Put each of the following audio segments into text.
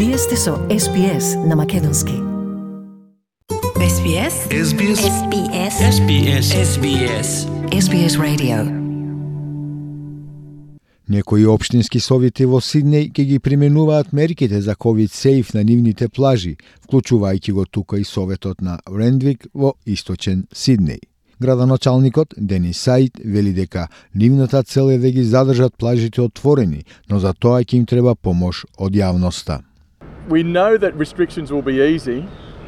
Вие сте со SBS на македонски. SBS SBS SBS SBS SBS SBS Radio. Некои општински совети во Сиднеј ќе ги применуваат мерките за COVID-сейф на нивните плажи, вклучувајќи го тука и советот на Рендвик во источен Сиднеј. Градоначалникот Денис Саид вели дека нивната цел е да ги задржат плажите отворени, но за тоа ќе им треба помош од јавноста. We know that restrictions will be easy,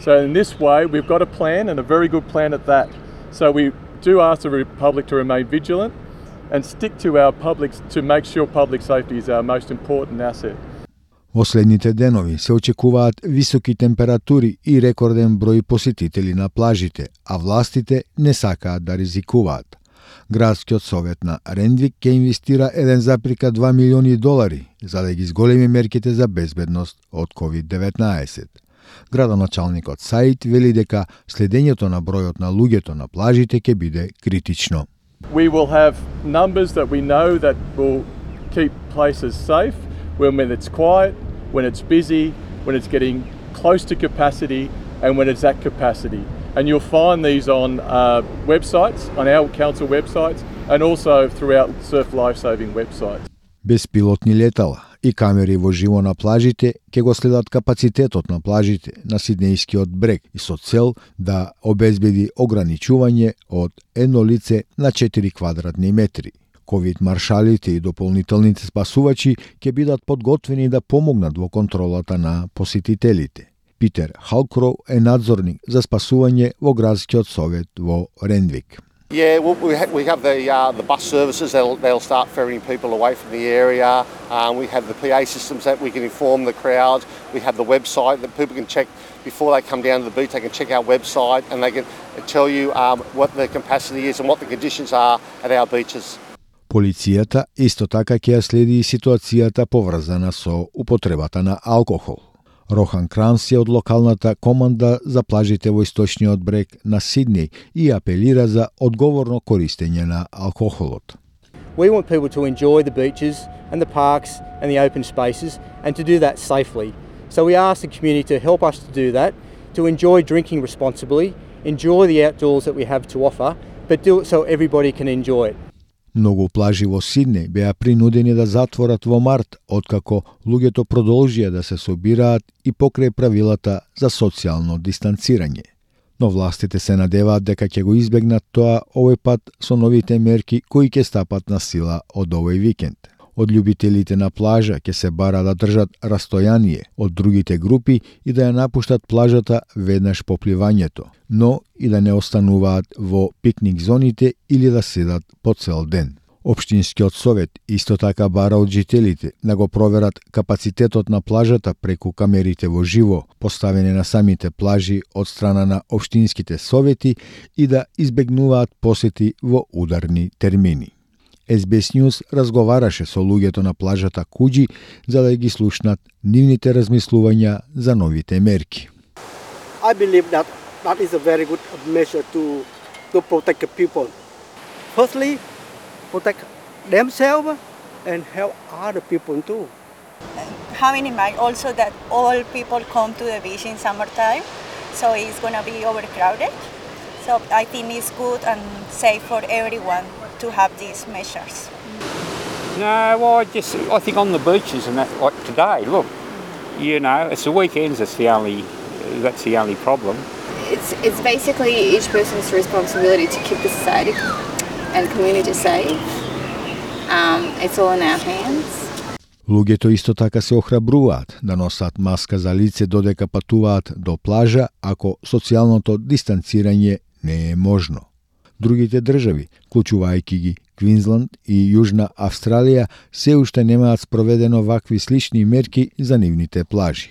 so in this way we've got a plan and a very good plan at that. So we do ask the public to remain vigilant and stick to our public to make sure public safety is our most important asset. Во следните денови се очекуваат високи температури и рекорден број посетители на плажите, а властите не сакаат да ризикуваат. Градскиот совет на Рендвик ќе инвестира 1,2 милиони долари за да ги зголеми мерките за безбедност од COVID-19. Градоначалникот Саид вели дека следењето на бројот на луѓето на плажите ќе биде критично. We will have numbers that we know that will keep places safe when it's quiet, when it's busy, when it's getting close to capacity and when it's at capacity. And you'll find these on websites, on our council websites and also throughout Surf Lifesaving websites. Беспилотни летала и камери во живо на плажите ќе го следат капацитетот на плажите на Сиднејскиот брег и со цел да обезбеди ограничување од едно лице на 4 квадратни метри. ковид маршалите и дополнителните спасувачи ќе бидат подготвени да помогнат во контролата на посетителите. Питер Халкроу е надзорник за спасување во градскиот совет во Рендвик. Yeah, we have the bus services. They'll start ferrying people away from the area. We have the PA systems that we can inform the crowd. We have the website that people can check before they come down to the beach. They can check our website and they can tell you what the capacity is and what the conditions are at our beaches. Полицијата исто така ќе ја следи и ситуацијата поврзана со употребата на алкохол. Рохан Кранс е од локалната команда за плажите во источниот брег на Сиднеј и апелира за одговорно користење на алкохолот. We want people to enjoy the beaches and the parks and the open spaces and to do that safely. So we ask the community to help us to do that, to enjoy drinking responsibly, enjoy the outdoors that we have to offer, but do it so everybody can enjoy it. Многу плажи во Сиднеј беа принудени да затворат во март, откако луѓето продолжија да се собираат и покрај правилата за социјално дистанцирање. Но властите се надеваат дека ќе го избегнат тоа овој пат со новите мерки кои ќе стапат на сила од овој викенд. Од љубителите на плажа ќе се бара да држат растојание од другите групи и да ја напуштат плажата веднаш по пливањето, но и да не остануваат во пикник зоните или да седат по цел ден. Општинскиот совет исто така бара од жителите да го проверат капацитетот на плажата преку камерите во живо, поставени на самите плажи од страна на општинските совети и да избегнуваат посети во ударни термини. SBS News разговараше со луѓето на плажата Куџи за да ги слушнат нивните размислувања за новите мерки. I believe that is a very good measure to protect the people. Firstly, protect themselves and help other people too. Having in mind also that all people come to the beach in summertime, so it's going to be overcrowded. So I think it's good and safe for everyone to have these measures. No, well, I think on the beaches and that, like today, look, you know, it's the weekends. That's the only problem. It's basically each person's responsibility to keep the society and community safe. It's all in our hands. Луѓето исто така се охрабруваат да носат маска за лице додека патуваат до плажа ако социјалното дистанцирање не е можно. Другите држави, вклучувајќи ги Квинсланд и Јужна Австралија, се уште немаат спроведено вакви слични мерки за нивните плажи.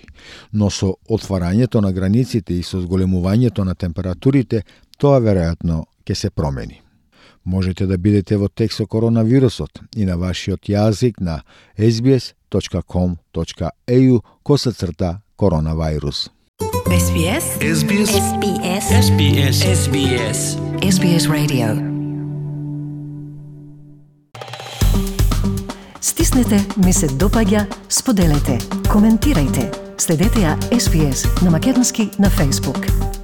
Но со отварањето на границите и со зголемувањето на температурите, тоа веројатно ќе се промени. Можете да бидете во текст со коронавирусот и на вашиот јазик на sbs.com.au/коронавирус. SBS SBS SBS SBS SBS SBS Radio. Стиснете ми се допаѓа, споделете, коментирајте. Следете ја SPS на македонски на Facebook.